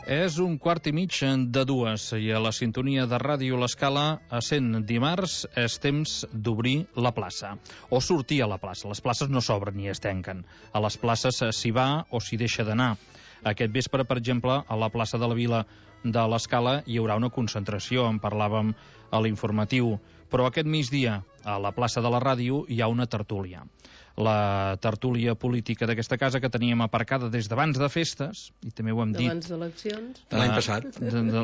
És 1:15 i a la sintonia de Ràdio L'Escala, essent dimarts, és temps d'obrir la plaça. O sortir a la plaça. Les places no s'obren ni es tanquen. A les places s'hi va o s'hi deixa d'anar. Aquest vespre, per exemple, a la plaça de la Vila de l'Escala hi haurà una concentració, en parlàvem a l'informatiu. Però aquest migdia, a la plaça de la Ràdio, hi ha una tertúlia. La tertúlia política d'aquesta casa que teníem aparcada des d'abans de festes, i també ho hem dit... D'abans d'eleccions. De l'any passat.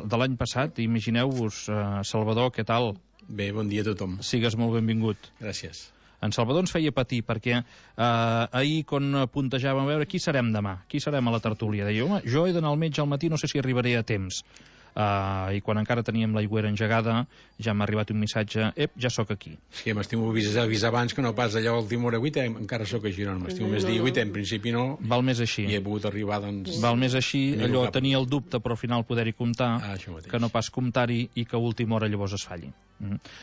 De l'any passat. Imagineu-vos, Salvador, què tal? Bé, bon dia a tothom. Sigues molt benvingut. Gràcies. En Salvador ens feia patir, perquè ahir, quan puntejàvem a veure qui serem demà, qui serem a la tertúlia, deia, home, jo he d'anar al metge al matí, no sé si arribaré a temps. I quan encara teníem l'aigüera engegada ja m'ha arribat un missatge, ja sóc aquí. Sí, m'estimo avisar abans que no pas allò última hora 8, encara sóc a Girona, m'estimo més dir 8, en principi no. Val més així. I he pogut arribar, doncs... Val més així, allò tenir el dubte però al final poder-hi comptar, que no pas comptar-hi i que a última hora llavors es falli.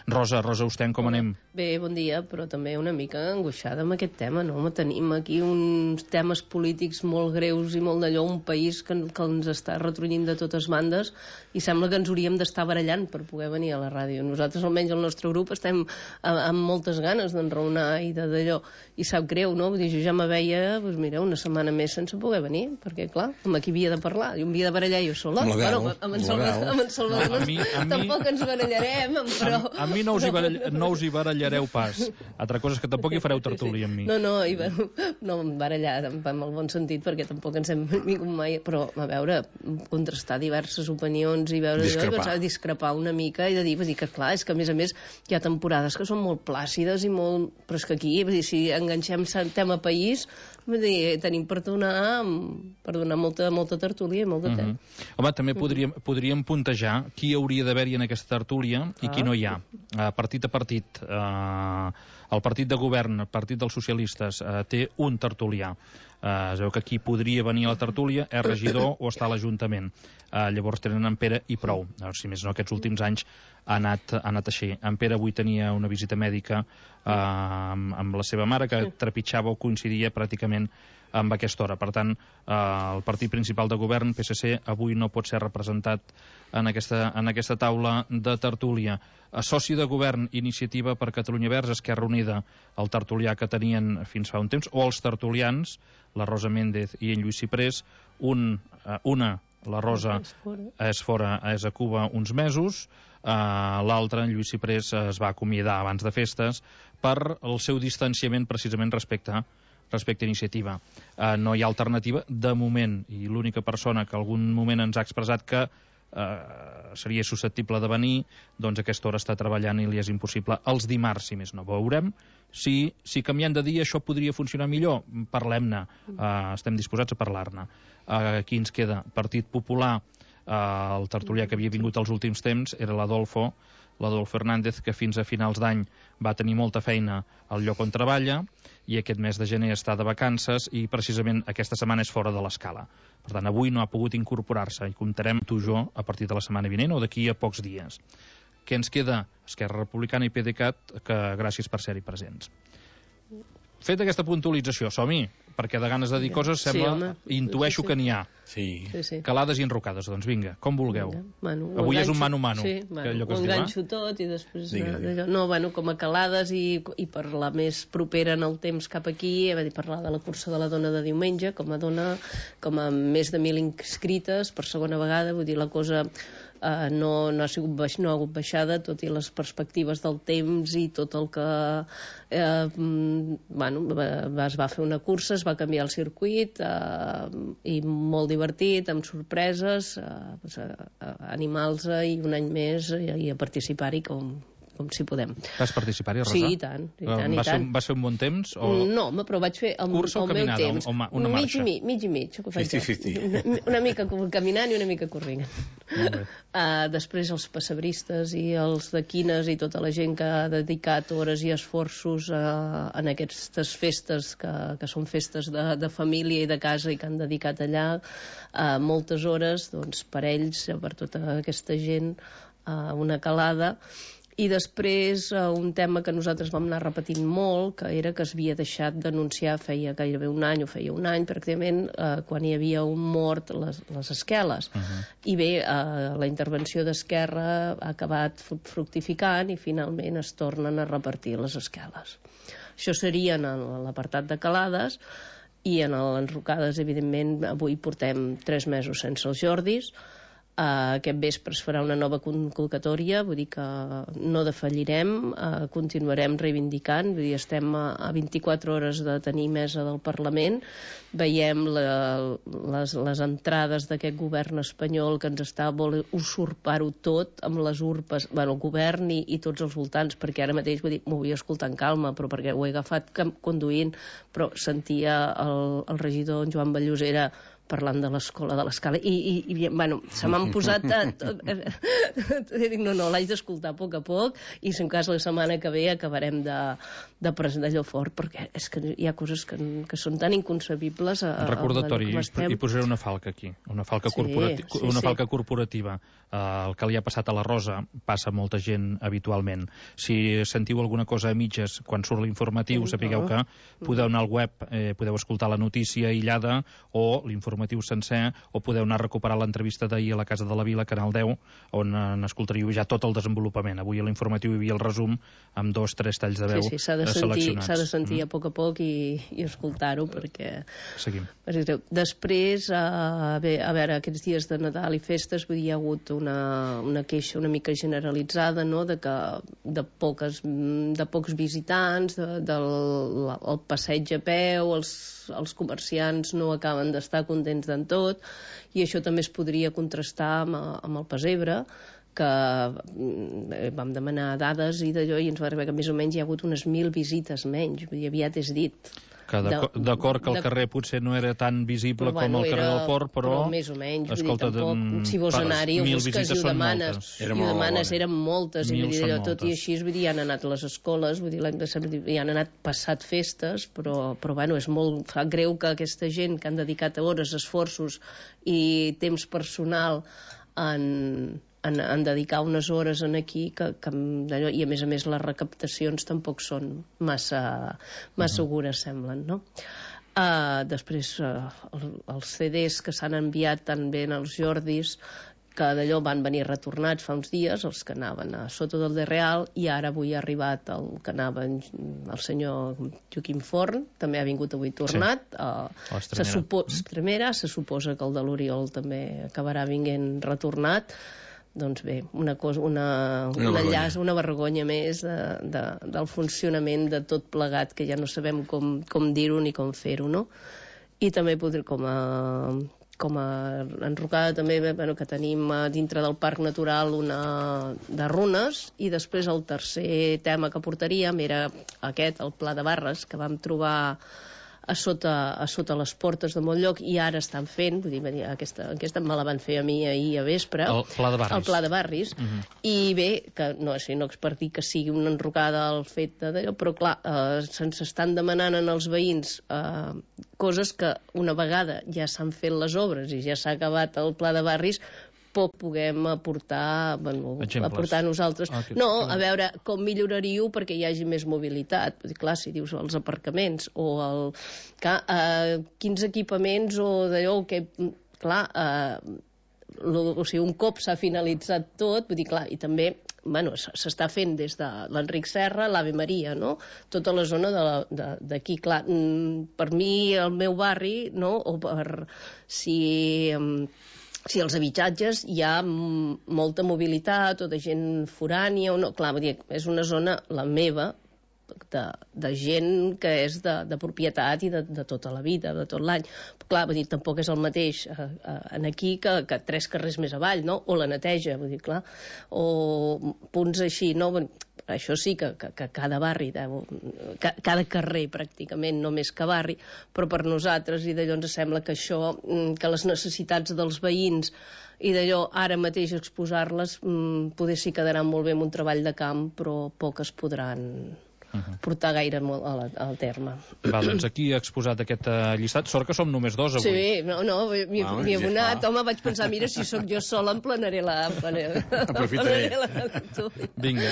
Rosa Osten, com anem? Bé, bon dia, però també una mica angoixada amb aquest tema, no? Tenim aquí uns temes polítics molt greus i molt d'allò, un país que ens està retrunyint de totes bandes i sembla que ens hauríem d'estar barallant per poder venir a la ràdio. Nosaltres, almenys el nostre grup, estem amb moltes ganes d'enraonar i d'allò, i sap greu, no? Vull dir, jo ja me veia, doncs mira, una setmana més sense poder venir, perquè clar, amb qui havia de parlar? Jo havia de barallar jo sola. Bueno, amb en Salvador tampoc ens barallarem, però... A mi no us hi barallareu pas. Altra cosa és que tampoc hi fareu tertúlia amb mi. No barallar en el bon sentit, perquè tampoc ens hem vingut mai, però a veure, contrastar diverses opinions i veure discrepar una mica i de dir que clar, és que a més hi ha temporades que són molt plàcides i molt... però és que aquí, si enganxem tema país, tenim per donar molta tertúlia i molt de temps. Home, també podríem puntejar qui hauria d'haver-hi en aquesta tertúlia i qui no hi ha. Partit a partit, el partit de govern, el partit dels socialistes, té un tertulià. Es veu que qui podria venir a la tertúlia és regidor o està a l'Ajuntament. Llavors tenen en Pere i prou. Si més no, aquests últims anys ha anat així. En Pere avui tenia una visita mèdica amb la seva mare, que trepitjava o coincidia pràcticament amb aquesta hora. Per tant, el partit principal de govern, PSC, avui no pot ser representat en aquesta taula de tertúlia. Soci de govern, Iniciativa per Catalunya Verds, Esquerra Unida, el tertulià que tenien fins fa un temps, o els tertulians, la Rosa Méndez i en Lluís Ciprés, la Rosa és fora, és a Cuba uns mesos, l'altre, en Lluís Ciprés, es va acomiadar abans de festes per el seu distanciament precisament respecte a Iniciativa. No hi ha alternativa de moment, i l'única persona que algun moment ens ha expressat que seria susceptible de venir, doncs a aquesta hora està treballant i li és impossible els dimarts, si més no. Veurem si canviant de dia això podria funcionar millor. Parlem-ne, estem disposats a parlar-ne. Aquí ens queda Partit Popular. El tertulià que havia vingut els últims temps era l'Adolfo Hernández, que fins a finals d'any va tenir molta feina al lloc on treballa i aquest mes de gener està de vacances i precisament aquesta setmana és fora de l'Escala. Per tant, avui no ha pogut incorporar-se i comptarem tu i jo a partir de la setmana vinent o d'aquí a pocs dies. Què ens queda? Esquerra Republicana i PDeCAT, que gràcies per ser-hi presents. Fet aquesta puntualització, som-hi, perquè de ganes de dir coses sembla, intueixo que n'hi ha. Sí. Calades i enrocades, doncs vinga, com vulgueu. Avui és un mano-mano. Sí, ho enganxo tot i després... No, com a calades i per la més propera en el temps cap aquí, parlar de la cursa de la dona de diumenge, com a més de 1.000 inscrites per segona vegada, vull dir, la cosa... no ha hagut baixada, tot i les perspectives del temps i tot el que es va fer una cursa, es va canviar el circuit i molt divertit, amb sorpreses, animals i un any més i a participar-hi com si podem. Vas participar-hi, Rosa? Sí, i tant. Va ser un bon temps? No, però vaig fer el meu temps. Una marxa? Mig i mig. 50-50. Una mica caminant i una mica corrent. Després els pessebristes i els de quines i tota la gent que ha dedicat hores i esforços en aquestes festes que són festes de família i de casa i que han dedicat allà moltes hores, doncs per ells, per tota aquesta gent, una calada. I després un tema que nosaltres vam anar repetint molt, que era que es havia deixat d'anunciar feia gairebé un any, o feia un any pràcticament, quan hi havia un mort, les esqueles. I bé, la intervenció d'Esquerra ha acabat fructificant i finalment es tornen a repartir les esqueles. Això seria en l'apartat de Calades, i en l'Enrocades, evidentment, avui portem 3 mesos sense els Jordis. Aquest vespre es farà una nova convocatòria, vull dir que no defallirem, continuarem reivindicant, vull dir, estem a 24 hores de tenir mesa del Parlament, veiem les entrades d'aquest govern espanyol que ens està vol usurpar-ho tot amb les urpes, bueno, el govern i tots els voltants, perquè ara mateix, vull dir, m'ho vull escoltar en calma, però perquè ho he agafat conduint, però sentia el regidor en Joan Ballosera parlant de l'escola de l'Escala i bueno, se m'han posat dic, no, l'haig d'escoltar a poc i si en cas la setmana que ve acabarem de presentar allò fort, perquè és que hi ha coses que són tan inconcebibles recordatori, i posaré una falca aquí, una falca corporativa. El que li ha passat a la Rosa passa a molta gent habitualment. Si sentiu alguna cosa a mitges quan surt l'informatiu, sapigueu que podeu anar al web, podeu escoltar la notícia aïllada o l'informatiu sencer, o podeu anar a recuperar l'entrevista d'ahir a la Casa de la Vila, Canal 10, on n'escoltaríeu ja tot el desenvolupament. Avui a l'informatiu hi havia el resum amb 2 o 3 talls de veu seleccionats. S'ha de sentir a poc i escoltar-ho, perquè... Seguim. Després, a veure, aquests dies de Nadal i festes, vull dir, hi ha hagut una queixa una mica generalitzada, no?, de pocs visitants, el passeig a peu, els comerciants no acaben d'estar contents d'en tot, i això també es podria contrastar amb el Pessebre, que vam demanar dades i d'allò i ens va arribar que més o menys hi ha hagut unes 1.000 visites menys, vull dir, aviat és dit. D'acord que el carrer potser no era tan visible com el carrer del Port, però més o menys, escolta, tampoc, si vols anar-hi ho busques i ho demanes, eren moltes, i tot i així, vull dir, hi han anat les escoles, vull dir, hi han anat passat festes, però bueno, és molt, fa greu que aquesta gent que han dedicat hores, esforços i temps personal en dedicar unes hores aquí i a més les recaptacions tampoc són massa segures, semblen, no? Després els CDs que s'han enviat també als Jordis, que d'allò van venir retornats fa uns dies, els que anaven a Soto del de Real, i ara avui ha arribat el que anava el senyor Joaquim Forn, també ha vingut avui tornat, se suposa que el de l'Oriol també acabarà vinguent retornat. Doncs bé, una vergonya més del funcionament de tot plegat, que ja no sabem com dir-ho ni com fer-ho, no? I també com a enrocada també, que tenim dintre del Parc Natural una de runes, i després el tercer tema que portaríem era aquest, el Pla de Barres, que vam trobar a sota les portes de molt lloc, i ara estan fent, vull dir, aquesta me la van fer a mi ahir a vespre, el Pla de Barris, i bé, que no expertir que sigui una enrocada al fet d'allò, però clar, se'ns estan demanant als veïns coses que una vegada ja s'han fet les obres i ja s'ha acabat el Pla de Barris, puguem aportar nosaltres. No, a veure, com milloraríeu perquè hi hagi més mobilitat. Clar, si dius els aparcaments o quins equipaments o d'allò que... Clar, o sigui, un cop s'ha finalitzat tot, vull dir, clar, i també s'està fent des de l'Enric Serra, l'Ave Maria, no? Tota la zona d'aquí, clar, per mi, el meu barri, no? O per si als habitatges hi ha molta mobilitat o de gent forània o no, clar, vull dir, és una zona, la meva, de gent que és de propietat i de tota la vida, de tot l'any. Clar, vull dir, tampoc és el mateix aquí que 3 carrers més avall, no? O la neteja, vull dir, clar, o punts així, no? Això sí que cada barri, cada carrer pràcticament, no més que barri, però per nosaltres, i d'allò ens sembla que això, que les necessitats dels veïns i d'allò ara mateix exposar-les, poder sí quedaran molt bé amb un treball de camp, però poques podran portar gaire molt al terme. Va, doncs aquí he exposat aquest llistat. Sort que som només dos avui. Sí, m'hi he abonat. Home, vaig pensar, mira, si sóc jo sola em planaré la tertúlia. Vinga,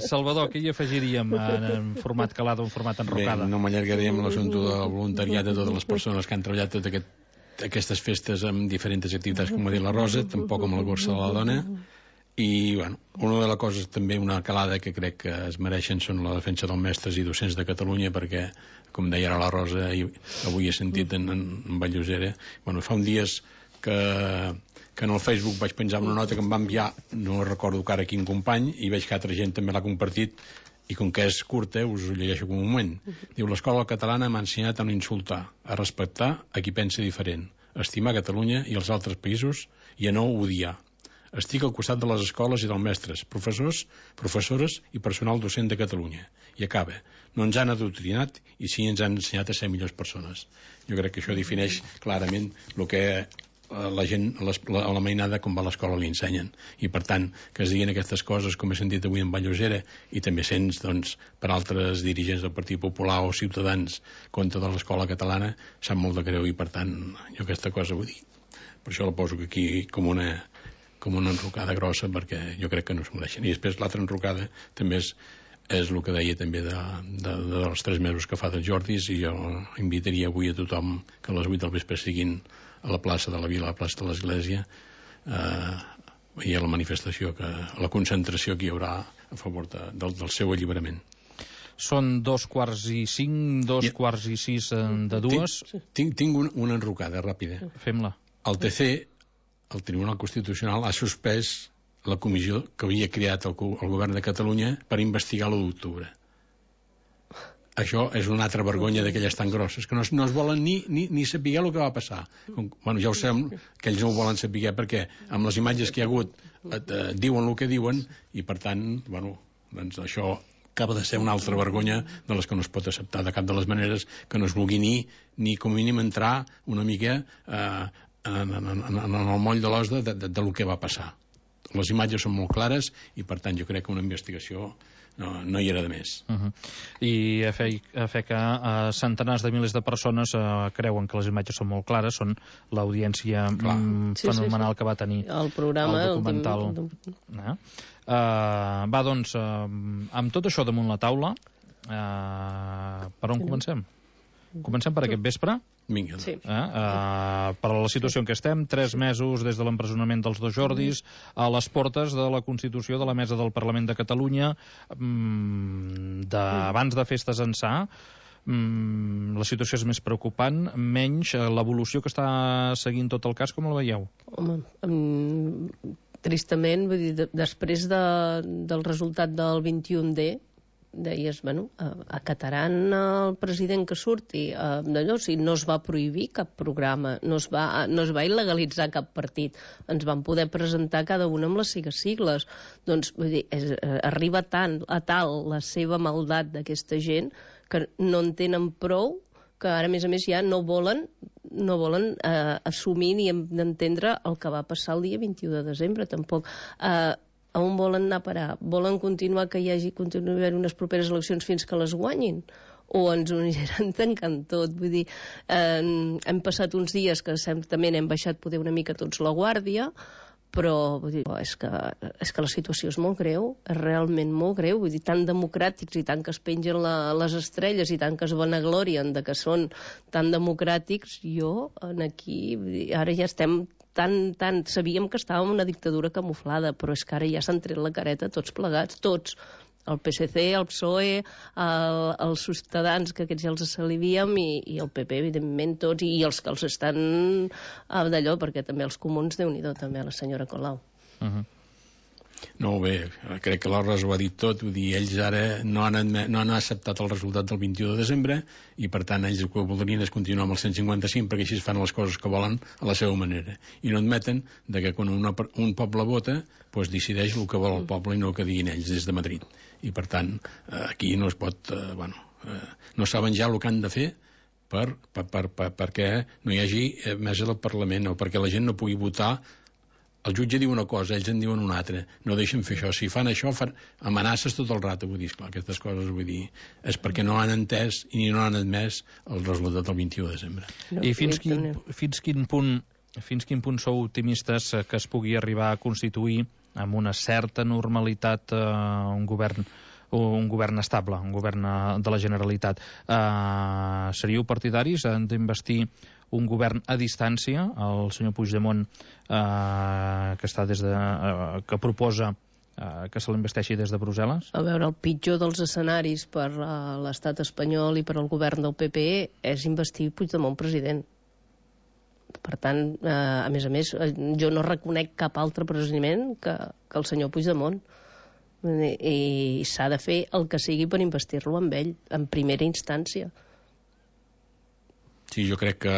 Salvador, què hi afegiríem en format calada o en format enrocada? Bé, no m'allargaríem l'assumpte del voluntariat de totes les persones que han treballat aquestes festes amb diferents activitats, com ha dit la Rosa, tampoc amb la Borsa de la Dona. I, bueno, una de les coses, també una calada que crec que es mereixen són la defensa dels mestres i docents de Catalunya, perquè, com deia ara la Rosa, i avui he sentit en Vall-llosera, bueno, fa uns dies que en el Facebook vaig penjar una nota que em va enviar, no recordo que ara quin company, i veig que altra gent també l'ha compartit, i com que és curta, us ho llegeixo com un moment. Diu, l'escola catalana m'ha ensenyat a no insultar, a respectar a qui pensa diferent, a estimar Catalunya i els altres països i a no odiar. Estic al costat de les escoles i dels mestres, professors, professores i personal docent de Catalunya. I acaba. No ens han adoctrinat i sí ens han ensenyat a ser millors persones. Jo crec que això defineix clarament el que la gent, a la mainada, com va a l'escola li ensenyen. I per tant, que es diguin aquestes coses, com he sentit avui en Vall-llosera, i també sents, doncs, per altres dirigents del Partit Popular o ciutadans contra de l'escola catalana, sap molt de greu i per tant, jo aquesta cosa vull dir. Per això la poso aquí com una enrocada grossa, perquè jo crec que no es mereixen. I després l'altra enrocada també és el que deia també dels 3 mesos que fa dels Jordis, i jo invitaria avui a tothom que a les 8 del vespre siguin a la plaça de la Vila, a la plaça de l'Església, i a la manifestació, a la concentració que hi haurà a favor del seu alliberament. Són 2:45, 2:46 de 2. Tinc una enrocada ràpida. Fem-la. El TC, el Tribunal Constitucional, ha suspès la comissió que havia creat el govern de Catalunya per investigar l'1 d'octubre. Això és una altra vergonya d'aquelles tan grosses, que no es volen ni saber el que va passar. Bueno, ja ho sabem que ells no ho volen saber perquè amb les imatges que hi ha hagut diuen el que diuen, i per tant, bueno, doncs això acaba de ser una altra vergonya de les que no es pot acceptar de cap de les maneres, que no es vulgui ni com a mínim entrar una mica en el moll de l'os del que va passar. Les imatges són molt clares i per tant jo crec que una investigació no hi era de més. I a fer que centenars de milers de persones creuen que les imatges són molt clares, són l'audiència fenomenal que va tenir el programa, el documental. Va, doncs, amb tot això damunt la taula, per on comencem? Comencem per aquest vespre? Vinga. Sí. Per la situació en què estem, 3 mesos des de l'empresonament dels 2 Jordis, a les portes de la constitució de la Mesa del Parlament de Catalunya, abans de festes ençà. La situació és més preocupant, menys l'evolució que està seguint tot el cas, com el veieu? Home, tristament, vull dir, després del resultat del 21D, deies, bueno, acataran el president que surti d'allò, si no es va prohibir cap programa, no es va il·legalitzar cap partit, ens van poder presentar cada una amb les sigles. Doncs, vull dir, arriba a tal la seva maldat d'aquesta gent que no en tenen prou, que ara, a més, ja no volen assumir ni entendre el que va passar el dia 21 de desembre, tampoc. A on volen anar a parar? Volen continuar que continuï haver unes properes eleccions fins que les guanyin? O ens ho aniran tancant tot? Vull dir, hem passat uns dies que certament hem baixat poder una mica tots la guàrdia, però vull dir, és que la situació és molt greu, és realment molt greu, vull dir, tan democràtics i tant que es pengen les estrelles i tant que es vanaglorien de que són tan democràtics, aquí, vull dir, ara ja estem sabíem que estàvem en una dictadura camuflada, però és que ara ja s'han tret la careta tots plegats, tots, el PSC, el PSOE, els Ciutadans, que aquests ja els salivíem, i el PP, evidentment, tots, i els que els estan d'allò, perquè també els comuns, Déu-n'hi-do, també la senyora Colau. No, bé, crec que la Rosa ho ha dit tot, vull dir, ells ara no han acceptat el resultat del 21 de desembre i per tant ells el que voldrien és continuar amb el 155 perquè així es fan les coses que volen a la seva manera i no admeten que quan un poble vota doncs decideix el que vol el poble i no el que diguin ells des de Madrid i per tant aquí no es pot no saben ja el que han de fer perquè no hi hagi mesa del Parlament o perquè la gent no pugui votar el jutge diu una cosa, ells en diuen una altra, no deixen fer això. Si fan això, fan amenaces tot el rato, vull dir, esclar, aquestes coses, vull dir, és perquè no han entès i no han admès el resultat del 21 de desembre. I fins quin punt sou optimistes que es pugui arribar a constituir amb una certa normalitat un govern estable, un govern de la Generalitat? Seríeu partidaris d'investir un govern a distància? El senyor Puigdemont que proposa que se l'investeixi des de Brussel·les? A veure, el pitjor dels escenaris per l'estat espanyol i per al govern del PP és investir Puigdemont president. Per tant, a més, jo no reconec cap altre procediment que el senyor Puigdemont. I s'ha de fer el que sigui per investir-lo amb ell, en primera instància. Sí, jo crec que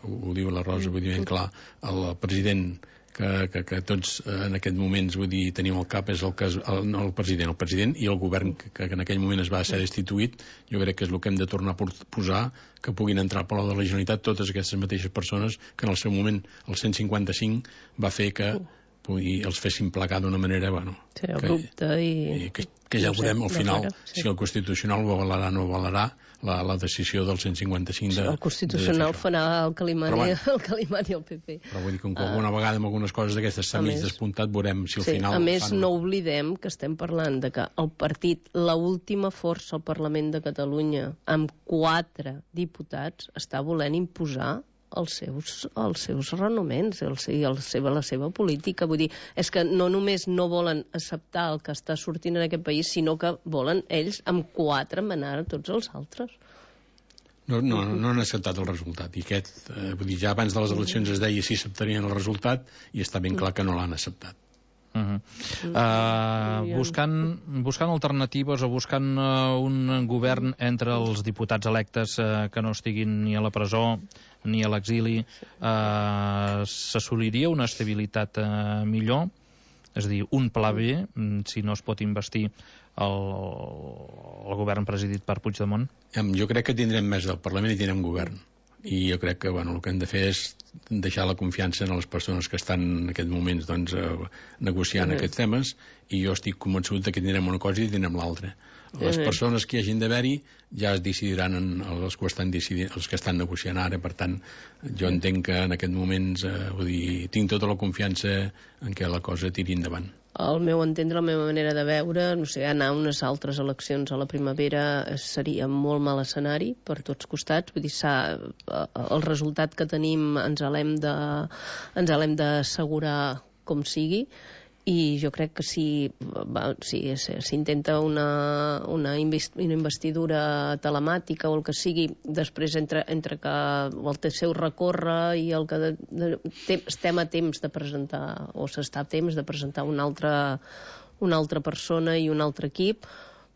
ho diu la Rosa, vull dir ben clar, el president que tots en aquest moments, vull dir, tenim al cap és el president i el govern que en aquell moment es va ser destituït. Jo crec que és el que hem de tornar a posar, que puguin entrar al Palau de la Generalitat totes aquestes mateixes persones que en el seu moment el 155 va fer que els fessin placar d'una manera, bueno, que ja veurem al final si el Constitucional ho avalarà o no avalarà la decisió del 155 el Constitucional farà el que li mani el PP. Però vull dir que alguna vegada amb algunes coses d'aquestes s'ha mig despuntat, veurem si al final... A més, no oblidem que estem parlant de que el partit, l'última força al Parlament de Catalunya, amb 4 diputats, està volent imposar els seus renoments, la seva política. Vull dir, és que no només no volen acceptar el que està sortint en aquest país, sinó que volen ells amb 4 manar a tots els altres. No han acceptat el resultat. I vull dir, ja abans de les eleccions es deia si acceptarien el resultat i està ben clar que no l'han acceptat. Buscant alternatives o buscant un govern entre els diputats electes que no estiguin ni a la presó ni a l'exili, s'assoliria una estabilitat millor? És a dir, un pla B, si no es pot investir el govern presidit per Puigdemont? Jo crec que tindrem més del Parlament i tindrem govern. I jo crec que el que hem de fer és deixar la confiança en les persones que estan en aquests moments negociant aquests temes, i jo estic convençut que tindrem una cosa i tindrem l'altra. Les persones que hi hagin d'haver-hi ja es decidiran els que estan negociant ara. Per tant, jo entenc que en aquests moments tinc tota la confiança en què la cosa tiri endavant. Al meu entendre, la meva manera de veure, no sé, anar a unes altres eleccions a la primavera seria molt mal escenari per tots costats. Vull dir, el resultat que tenim ens l'hem d'assegurar com sigui, i jo crec que si s'intenta una investidura telemàtica o el que sigui, després entre que el seu recórrer i el que estem a temps de presentar, o s'està a temps de presentar una altra persona i un altre equip,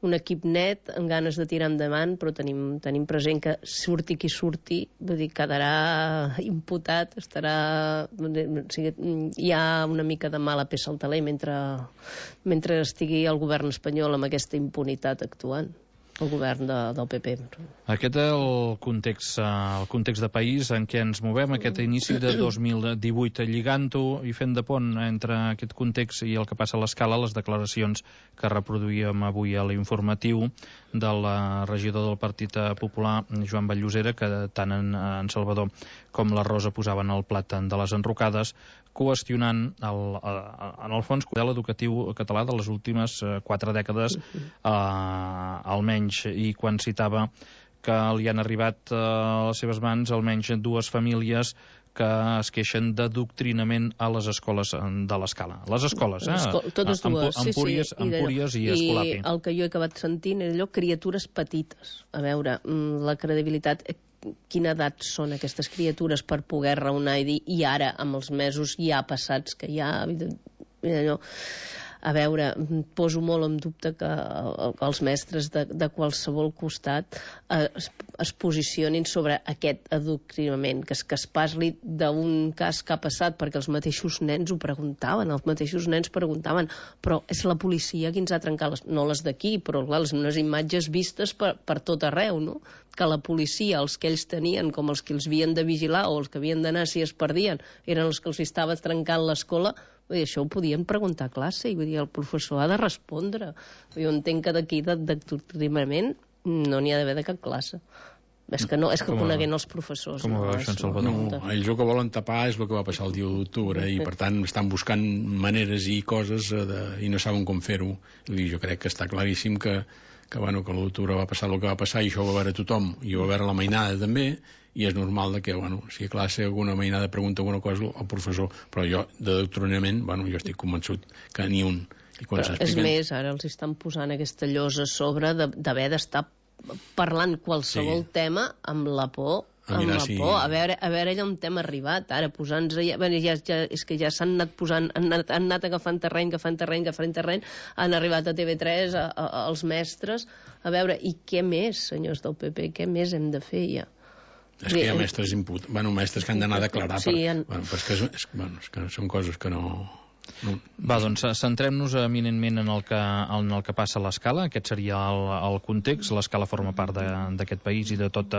un equip net, amb ganes de tirar endavant, però tenim present que surti qui surti, vull dir, quedarà imputat, hi ha una mica de mala peça al taler mentre estigui el govern espanyol amb aquesta impunitat actuant, el govern del PP. Aquest és el context de país en què ens movem, aquest inici de 2018, lligant-ho i fent de pont entre aquest context i el que passa a l'Escala, les declaracions que reproduïem avui a l'informatiu del regidor del Partit Popular, Joan Vall-Llosera, que tant en Salvador com la Rosa posaven el plat de les enrocades, qüestionant en el fons el model educatiu català de les últimes 4 dècades, almenys, i quan citava que li han arribat a les seves mans almenys 2 famílies que es queixen d'adoctrinament a les escoles de l'Escala. Les escoles, totes dues, Empúries i Escolapi. I el que jo he acabat sentint és allò, criatures petites. A veure, la credibilitat... Quina edat són aquestes criatures per poder raonar i dir, i ara, amb els mesos ja passats, que ja... allò... A veure, poso molt en dubte que els mestres de qualsevol costat es posicionin sobre aquest adoctrinament, que es parli d'un cas que ha passat, perquè els mateixos nens ho preguntaven, però és la policia qui ens ha trencat no les d'aquí, però clar, unes imatges vistes per tot arreu, no? Que la policia, els que ells tenien com els que els havien de vigilar o els que havien d'anar si es perdien, eren els que els estava trencant l'escola, Vull dir, això ho podien preguntar a classe, i vull dir, el professor ha de respondre. Jo entenc que d'aquí d'adoctrinament no n'hi ha d'haver de cap classe. És que coneguent els professors. Com ho veu això en Salvador? No, ells el que volen tapar és el que va passar el dia d'octubre i per tant estan buscant maneres i coses i no saben com fer-ho. Jo crec que està claríssim que l'octubre va passar el que va passar i això ho va veure tothom i ho va veure la mainada també, i és normal que, si a classe alguna mainada pregunta alguna cosa al professor, però jo d'adoctrinament, jo estic convençut que ni un. Però és més, ara els estan posant aquesta llosa a sobre d'haver d'estar parlant qualsevol tema amb la por, a veure allà on hem arribat ara, posant-nos és que ja s'han anat posant, han anat agafant terreny, han arribat a TV3 els mestres, a veure, i què més, senyors del PP, què més hem de fer ja? És que hi ha mestres mestres que han d'anar a declarar, però és que són coses que no... Va, doncs centrem-nos eminentment en el que passa a l'Escala. Aquest seria el context. L'Escala forma part d'aquest país i de tots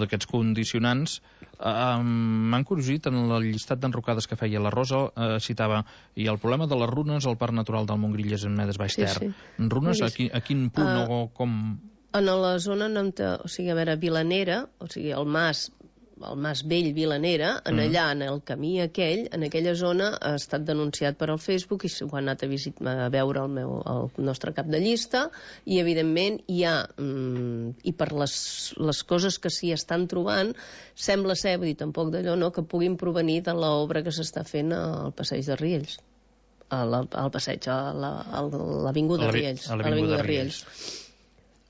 aquests condicionants. M'han curiosat en el llistat d'enrocades que feia la Rosa, citava, i el problema de les runes al Parc Natural del Montgrill és en Medes Baix Ter. Runes, a quin punt o com... En la zona, o sigui, a veure, Vilanera, o sigui, el Mas Vell Vilanera, allà, en el camí aquell, en aquella zona, ha estat denunciat per al Facebook i ho ha anat a veure el nostre cap de llista, i evidentment hi ha, i per les coses que s'hi estan trobant, sembla ser, vull dir, tampoc d'allò, no?, que puguin provenir de l'obra que s'està fent al passeig de Riells. Al passeig, a l'avinguda de Riells. A l'avinguda de Riells.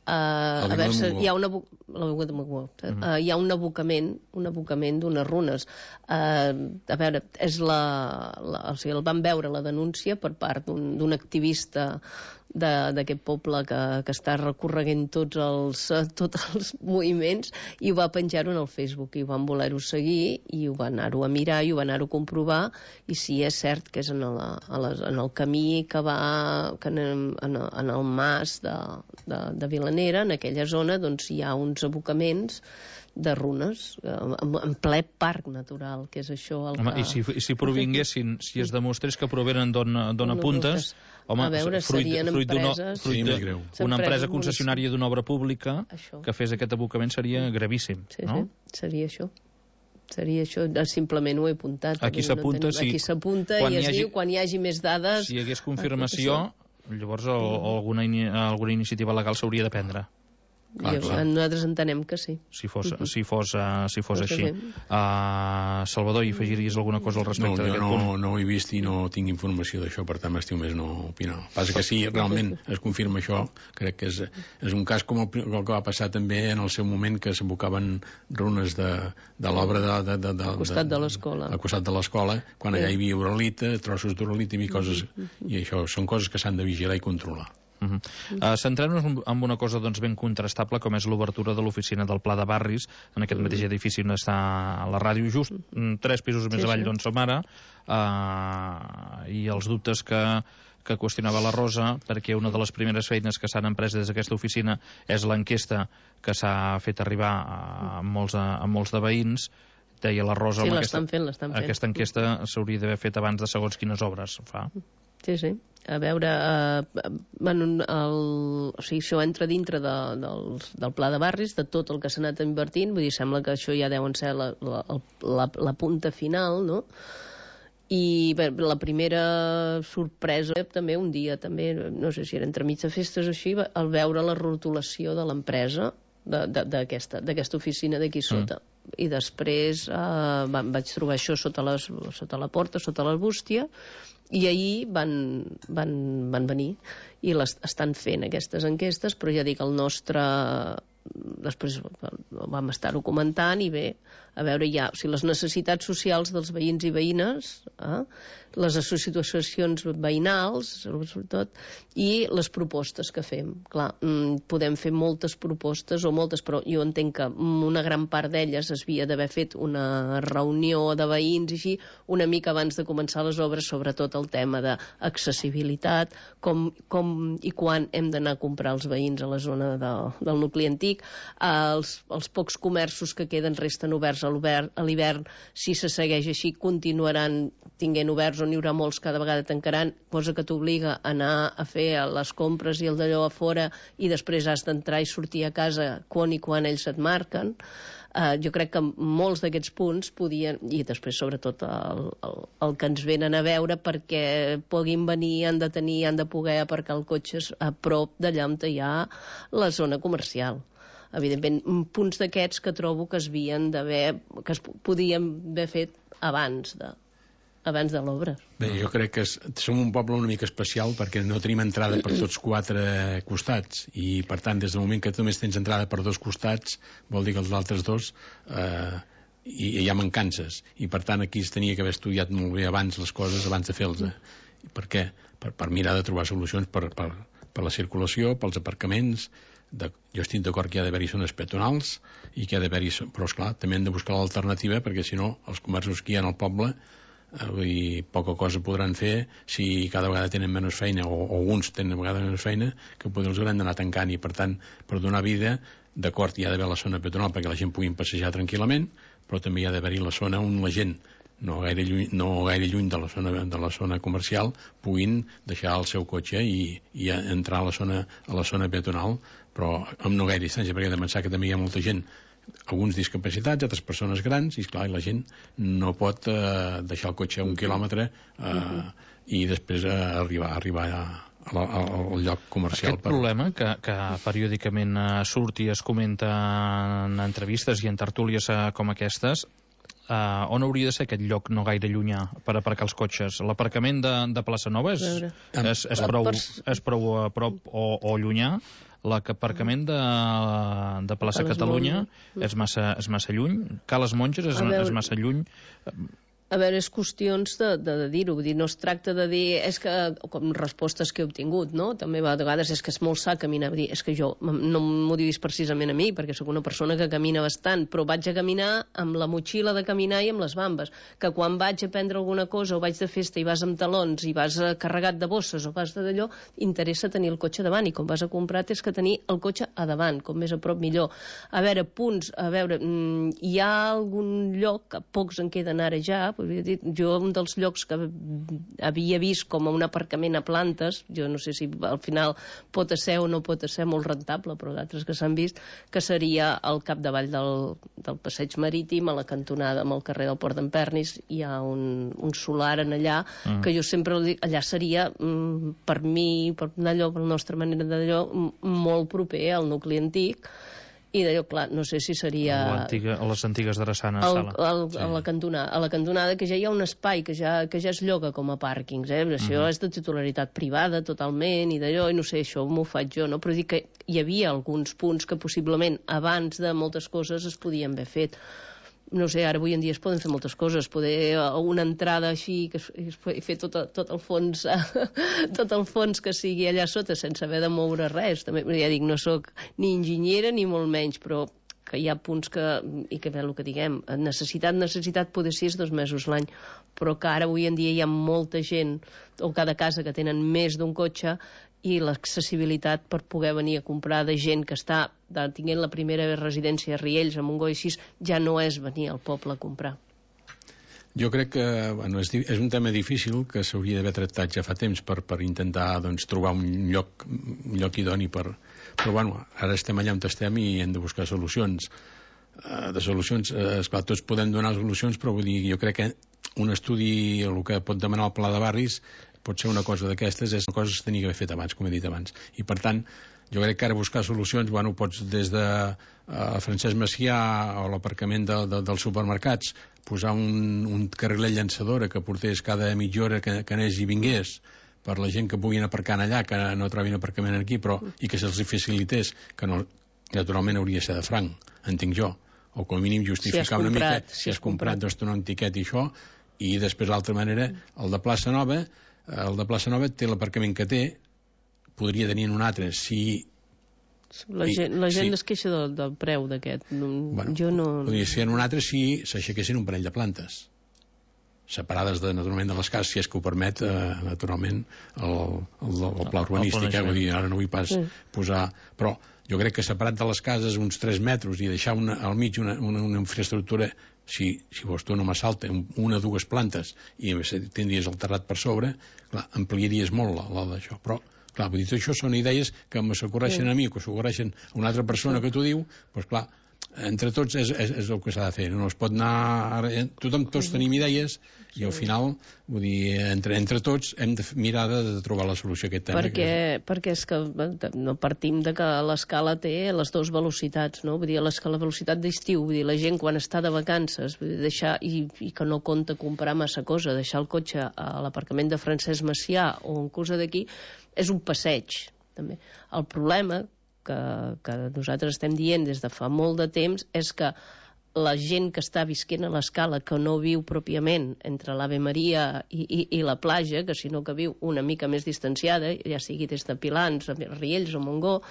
A veure, hi ha un abocament d'unes runes. A veure, o sigui, el van veure la denúncia per part d'un activista d'aquest poble que està recorreguent tots els moviments, i ho va penjar-ho en el Facebook, i ho van voler-ho seguir i ho van anar-ho a mirar i ho van anar-ho a comprovar, i sí, és cert que és en el camí que va en el mas de Vilanera, en aquella zona, doncs hi ha uns abocaments de runes en ple parc natural, que és això el que... Home, i si provinguessin, si es demostrés que provenen d'on apuntes, home, a veure, serien empreses... Una empresa concessionària d'una obra pública que fes aquest abocament seria gravíssim, no? Sí, seria això. Simplement ho he apuntat. Aquí s'apunta i es diu quan hi hagi més dades... Si hi hagués confirmació, llavors alguna iniciativa legal s'hauria de prendre. Nosaltres entenem que sí. Si fos així. Salvador, hi afegiries alguna cosa al respecte d'aquest punt? No ho he vist i no tinc informació d'això, per tant m'estiu més no opinar. Passa que si realment es confirma això, crec que és un cas com el que va passar també en el seu moment, que s'abocaven runes de l'obra al costat de l'escola. Al costat de l'escola, quan allà hi havia uralita, trossos d'uralita i coses, i això són coses que s'han de vigilar i controlar. Centrem-nos en una cosa ben contrastable, com és l'obertura de l'oficina del Pla de Barris en aquest mateix edifici on està la ràdio, just 3 pisos més avall d'on som ara, i els dubtes que qüestionava la Rosa, perquè una de les primeres feines que s'han emprès des d'aquesta oficina és l'enquesta que s'ha fet arribar a molts de veïns. Deia la Rosa, sí, l'estan fent. Aquesta enquesta s'hauria d'haver fet abans de segons quines obres fa. Sí. A veure, o sigui, això entra dintre del Pla de Barris, de tot el que s'ha anat invertint, vull dir, sembla que això ja deuen ser la punta final, no? I bé, la primera sorpresa també un dia, no sé si era entremig de festes o així, al veure la rotulació de l'empresa d'aquesta oficina d'aquí sota. I després vaig trobar això sota la porta, sota l'arbústia, i ahir van venir i estan fent aquestes enquestes, però ja dic, el nostre... Després vam estar-ho comentant i bé, a veure, hi ha les necessitats socials dels veïns i veïnes, les associacions veïnals, sobretot, i les propostes que fem. Clar, podem fer moltes propostes però jo entenc que una gran part d'elles es havia d'haver fet una reunió de veïns i així, una mica abans de començar les obres, sobretot el tema d'accessibilitat, com i quan hem d'anar a comprar els veïns a la zona del nucli antic, Antic, els pocs comerços que queden resten oberts a l'hivern. Si se segueix així, continuaran tinguent oberts, on hi haurà molts, cada vegada tancaran, cosa que t'obliga a anar a fer les compres i el d'allò a fora, i després has d'entrar i sortir a casa quan ells et marquen. Jo crec que molts d'aquests punts podien, i després sobretot el que ens venen a veure, perquè puguin venir, han de poder aparcar els cotxes a prop d'allà on hi ha la zona comercial. Evidentment, punts d'aquests que trobo que es podien haver fet abans de l'obra. Bé, jo crec que som un poble una mica especial perquè no tenim entrada per tots 4 costats, i per tant, des del moment que només tens entrada per 2 costats, vol dir que els altres 2 hi ha mancances, i per tant aquí es tenia que haver estudiat molt bé abans les coses, abans de fer-les. Per què? Per mirar de trobar solucions per la circulació, pels aparcaments. Jo estic d'acord que hi ha d'haver-hi zones peatonals, i que hi ha d'haver-hi, però esclar, també hem de buscar l'alternativa, perquè si no els comerços que hi ha al poble poca cosa podran fer si cada vegada tenen menys feina, o alguns tenen vegada menys feina, que potser els hauran d'anar tancant, i per tant, per donar vida, d'acord, hi ha d'haver la zona peatonal perquè la gent pugui passejar tranquil·lament, però també hi ha d'haver-hi la zona on la gent no gaire lluny de la zona comercial puguin deixar el seu cotxe i entrar a la zona peatonal, però amb no gaire distància, perquè he de pensar que també hi ha molta gent, alguns discapacitats, altres persones grans, i esclar, la gent no pot deixar el cotxe a 1 quilòmetre i després arribar al lloc comercial. Aquest problema que periòdicament surt i es comenta en entrevistes i en tertúlies com aquestes, on hauria de ser aquest lloc no gaire llunyà per aparcar els cotxes? L'aparcament de Plaça Nova és prou a prop o llunyà? L'aparcament de Plaça Catalunya és massa lluny? Ca les Monges és massa lluny? A veure, és qüestions de dir-ho. No es tracta de dir, és que, com respostes que he obtingut, no? També a vegades és que és molt sa caminar. És que jo, no m'ho diguis precisament a mi, perquè sóc una persona que camina bastant, però vaig a caminar amb la motxilla de caminar i amb les bambes. Que quan vaig a prendre alguna cosa o vaig de festa i vas amb talons i vas carregat de bosses o vas d'allò, interessa tenir el cotxe davant, i com vas a comprar tens que tenir el cotxe a davant, com més a prop millor. A veure, punts, hi ha algun lloc, que pocs en queden ara ja, jo un dels llocs que havia vist com un aparcament a plantes, jo no sé si al final pot ser o no pot ser molt rentable, però d'altres que s'han vist, que seria al capdavall del passeig marítim, a la cantonada amb el carrer del Port d'en Pernis, hi ha un solar en allà, que jo sempre dic, allà seria per mi, per la nostra manera d'allò, molt proper al nucli antic, i d'allò, clar, no sé si seria a les antigues drassanes a la cantonada, que ja hi ha un espai que ja es lloga com a pàrquings, això és de titularitat privada totalment, i d'allò, i no sé, això m'ho faig jo, no? Però dic que hi havia alguns punts que possiblement abans de moltes coses es podien haver fet. No sé, ara avui en dia es poden fer moltes coses, poder una entrada així, que fer tot el fons que sigui allà sota sense haver de moure res. També, ja dic, no sóc ni enginyera ni molt menys, però que hi ha punts i que el que diguem, necessitat poder ser 2 mesos l'any, però que ara avui en dia hi ha molta gent, o cada casa que tenen més d'un cotxe, i l'accessibilitat per poder venir a comprar de gent que està tinguent la primera residència a Riells, a Montgó i així, ja no és venir al poble a comprar. Jo crec que és un tema difícil que s'hauria d'haver tractat ja fa temps per intentar trobar un lloc idoni però ara estem allà on estem i hem de buscar solucions. Esclar, tots podem donar solucions, però vull dir, jo crec que un estudi, el que pot demanar el Pla de Barris, pot ser una cosa d'aquestes, és una cosa que s'hauria d'haver fet abans, com he dit abans. I per tant, jo crec que ara buscar solucions, pots des de Francesc Macià o l'aparcament dels supermercats, posar un carrilet llançadora que portés cada mitja hora que anés i vingués, per la gent que puguin aparcar allà, que no trobin aparcament aquí, i que se'ls facilités, que no, naturalment hauria de ser de franc, entenc jo, o com a mínim justificar una mica si has comprat, doncs donar un tiquet i això, i després l'altra manera, el de Plaça Nova té l'aparcament que té, podria tenir un altre si... La gent es queixa del preu d'aquest. Jo no... Podria ser en un altre si s'aixequessin un parell de plantes. separades naturalment de les cases, si és que ho permet naturalment el pla urbanístic, vull dir, ara no vull pas posar, però jo crec que separat de les cases uns 3 metres i deixar al mig una infraestructura, si vols tu no m'assalta, 1 o 2 plantes i tindries el terrat per sobre, clar, ampliaries molt d'això, però clar, vull dir, això són idees que m'ocorreixen a mi o que s'ocorreixen a una altra persona que t'ho diu, doncs clar, entre tots és el que s'ha de fer, no es pot anar tots tenim idees i al final, vull dir, entre tots hem de mirar de trobar la solució a aquest tema. Perquè és que no partim de que l'escala té les 2 velocitats, no? Vull dir, la velocitat d'estiu, vull dir, la gent quan està de vacances, vull dir, deixar, i que no compta comprar massa cosa, deixar el cotxe a l'aparcament de Francesc Macià o en cosa d'aquí, és un passeig, també. El problema que nosaltres estem dient des de fa molt de temps és que la gent que està visquent a l'escala, que no viu pròpiament entre l'Ave Maria i la platja, que sinó que viu una mica més distanciada, ja sigui des de Pilans, a Riells o Montgó,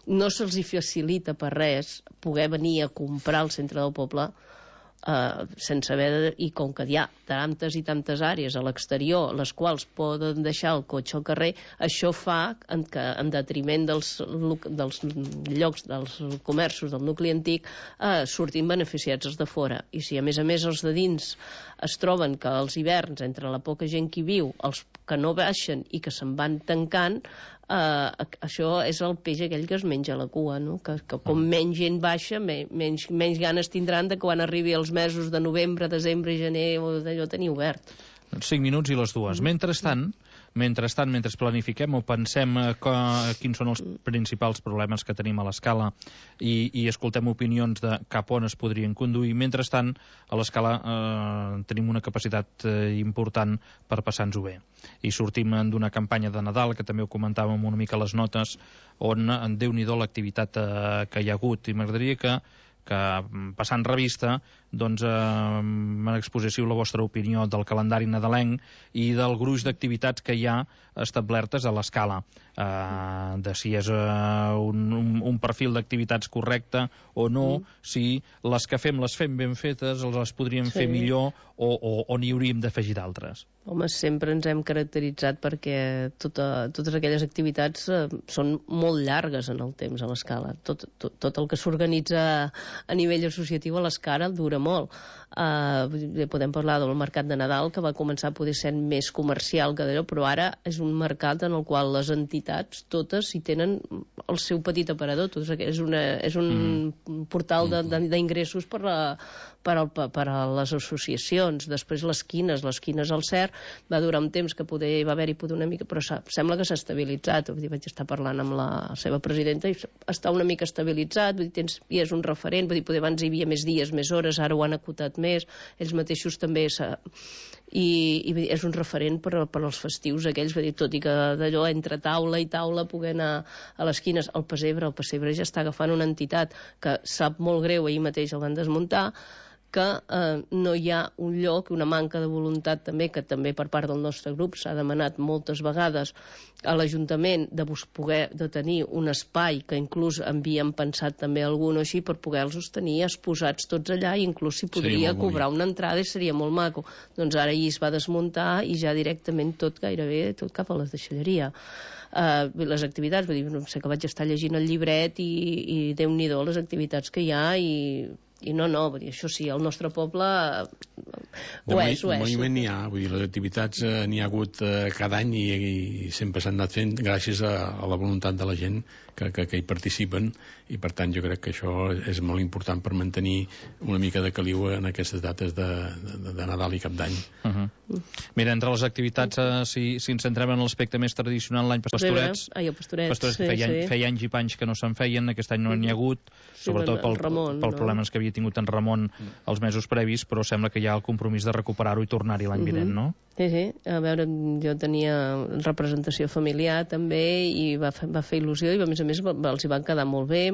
no se'ls facilita per res poder venir a comprar al centre del poble sense haver i com que hi ha tantes i tantes àrees a l'exterior les quals poden deixar el cotxe al carrer, això fa que en detriment dels llocs, dels comerços del nucli antic, surtin beneficiats els de fora, i si a més els de dins es troben que els hiverns, entre la poca gent que hi viu, els que no baixen i que se'n van tancant, això és el peix aquell que es menja la cua, no? Que com menys gent baixa, menys ganes tindran de quan arribi els mesos de novembre, desembre i gener o d'allò tenir obert. 5 minuts i les 2. Mentrestant, mentre planifiquem o pensem quins són els principals problemes que tenim a l'escala i escoltem opinions de cap on es podrien conduir, mentrestant a l'escala tenim una capacitat important per passar-nos-ho bé. I sortim d'una campanya de Nadal, que també ho comentàvem una mica a les notes, on Déu-n'hi-do l'activitat que hi ha hagut, i m'agradaria que passant revista m'exposessiu la vostra opinió del calendari nadalenc i del gruix d'activitats que hi ha establertes a l'escala, de si és un perfil d'activitats correcte o no, si les que fem les fem ben fetes, les podríem fer millor o n'hi hauríem d'afegir d'altres. Home, sempre ens hem caracteritzat perquè totes aquelles activitats són molt llargues en el temps a l'escala. Tot el que s'organitza a nivell associatiu a l'escala dura molt. Podem parlar del mercat de Nadal, que va començar a poder ser més comercial que d'allò, però ara és un mercat en el qual les entitats totes hi tenen el seu petit aparador. És un portal d'ingressos per a les associacions. Després les quines al CER va durar un temps que va haver-hi una mica, però sembla que s'ha estabilitzat. Vaig estar parlant amb la seva presidenta i està una mica estabilitzat, i és un referent, poder abans hi havia més dies, més hores, ara ho han acotat més, ells mateixos també i és un referent per als festius aquells, tot i que d'allò entre taula i taula poder anar a les quines. El pessebre ja està agafant una entitat que sap molt greu, ahir mateix el van desmuntar, que no hi ha un lloc, una manca de voluntat també, que també per part del nostre grup s'ha demanat moltes vegades a l'Ajuntament de tenir un espai que inclús havíem pensat també algun o així per poder-los tenir exposats tots allà, i inclús si podria cobrar una entrada i seria molt maco. Doncs ara ahir es va desmuntar i ja directament gairebé tot cap a la deixalleria. Les activitats, no sé, que vaig estar llegint el llibret i Déu-n'hi-do les activitats que hi ha, i no, això sí, el nostre poble ho és. De moment n'hi ha, vull dir, les activitats n'hi ha hagut cada any i sempre s'han anat fent gràcies a la voluntat de la gent que hi participen, i per tant jo crec que això és molt important per mantenir una mica de caliu en aquestes dates de Nadal i Cap d'Any. Mira, entre les activitats, si ens centrem en l'aspecte més tradicional, l'any Pastorets, feia anys i panys que no se'n feien, aquest any no n'hi ha hagut, sobretot pels problemes que havia tingut en Ramon els mesos previs, però sembla que hi ha el compromís de recuperar-ho i tornar-hi l'any vinent, no? Sí, a veure, jo tenia representació familiar també i va fer il·lusió, i a més els hi van quedar molt bé,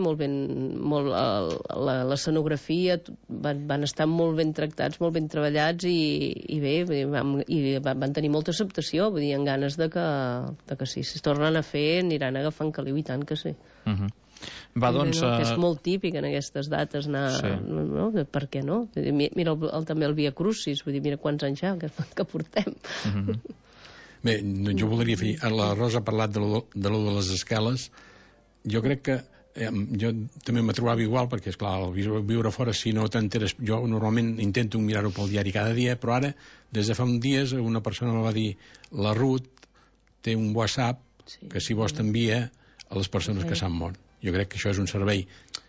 l'escenografia, van estar molt ben tractats, molt ben treballats, i bé, van tenir molta acceptació, vull dir, amb ganes de que si es tornen a fer aniran agafant caliu, i tant que sí. Va, doncs... Que és molt típic en aquestes dates anar... Sí. No? Per què no? Mira també el Via Crucis, vull dir, mira quants anys ja que portem. Bé, jo voldria fer... La Rosa ha parlat de lo de les escales. Jo crec que jo també me trobava igual, perquè, esclar, al viure fora, si no t'enteres... Jo normalment intento mirar-ho pel diari cada dia, però ara, des de fa uns dies, una persona me va dir la Ruth té un WhatsApp que, si vols, t'envia a les persones que s'han mort. Jo crec que això és un servei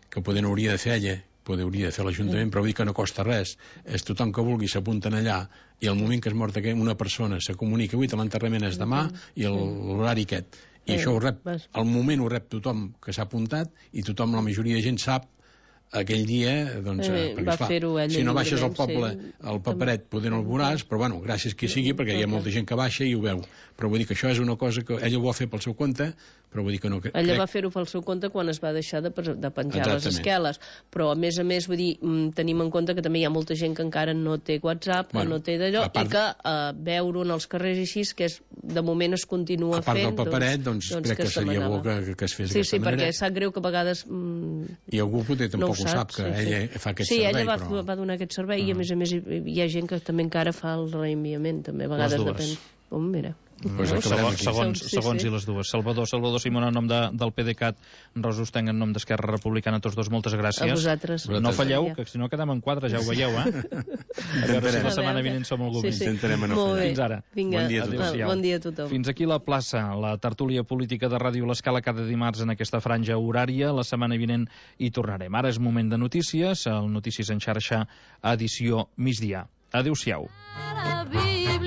que poder no hauria de fer ella, poder hauria de fer l'Ajuntament, però vull dir que no costa res. És tothom que vulgui s'apunten allà, i al moment que es mort una persona se comunica, avui l'enterrament és demà, i l'horari aquest. I això ho rep, al moment ho rep tothom que s'ha apuntat, i tothom, la majoria de gent sap aquell dia, doncs, perquè, esclar, si no baixes al poble, al paperet, poder no el veuràs, però, bueno, gràcies qui sigui, perquè hi ha molta gent que baixa i ho veu. Però vull dir que això és una cosa que ella ho va fer pel seu compte, però vull dir que no... Ella va fer-ho pel seu compte quan es va deixar de penjar les esqueles, però, a més, vull dir, tenim en compte que també hi ha molta gent que encara no té WhatsApp, que no té d'allò, i que veure-ho en els carrers així, que de moment es continua fent... A part del paperet, doncs crec que seria bo que es fes d'aquesta manera. Sí, perquè sap greu que a vegades... I algú potser tampoc ho sap, que ella fa aquest servei. Sí, ella va donar aquest servei, i a més hi ha gent que també encara fa el reenviament, també, a vegades depèn. Mira. Segons i les dues. Salvador Simón, en nom del PDeCAT, Rosa Ostenc, en nom d'Esquerra Republicana, tots dos, moltes gràcies. A vosaltres. No falleu, que si no quedem en 4, ja ho veieu, A veure si la setmana vinent som algú més. Fins ara. Bon dia a tothom. Fins aquí la plaça, la tertúlia política de Ràdio L'Escala cada dimarts en aquesta franja horària. La setmana vinent hi tornarem. Ara és moment de notícies, el Notícies en xarxa, edició migdia. Adéu-siau.